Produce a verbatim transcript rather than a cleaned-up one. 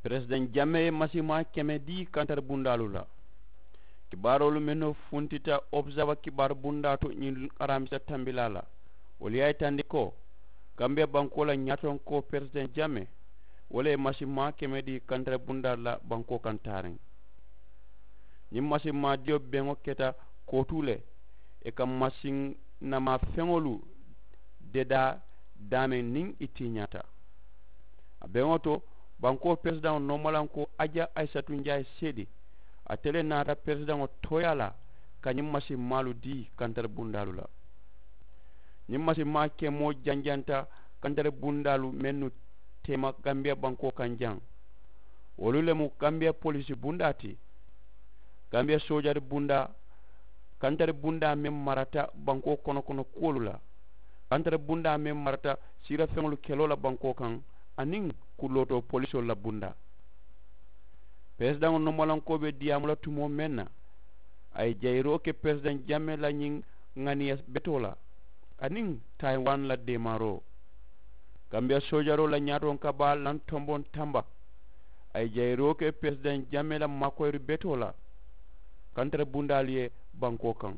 Peresidaŋ jamee ye masimaa keme dii kantari bundaalu la. Kibaaroolu mennu funtita observa kibaaru bundaa to ñiŋ araamisa tambilaa la, wolu ye a yitandi ko, gambiya bankoo la ñaatonkoo peresidaŋ jamee, wo le ye masimaa keme dii kantari bundaalu la bankoo kaŋ taariŋ. Ñiŋ masimaa diyo beŋo keta kootuu le, ì ka masiŋ namaa feŋolu dedaa daameŋ niŋ ì tiiñaata. A beŋo to, bankoo peresidaŋo noomalankoo aja ayisatu njaayi seedi, ate le naata peresidaŋo tooyaa la ka ñiŋ masiŋ maalu dii kantari bundaalu la. Ñiŋ masiŋ maa kemoo janjanta kantari bundaalu mennu teema gambiya bankoo kaŋ jaŋ. Wolu le mu gambiya poliisi bundaa ti, gambiya soojari bundaa, kantari bundaa meŋ marata bankoo kono kono kuwolu la, kantari bundaa meŋ marata siirafeŋolu keloo la bankoo kaŋ, aniŋ kulootoo poliisoolu la bundaa. Peresidaŋo nomolankoo be diyaamu la tumoo meŋ na, a ye jayiroo ke peresidaŋ jamee la ñiŋ ŋaniya betoo la, aniŋ tayiwani la deemaaroo. Gambiya soojaroo la ñaatoŋ ka baa lantomboŋ tamba, a ye jayiroo ke peresidaŋ jamee la maakoyiri betoo la, kantari bundaalu ye bankoo kaŋ.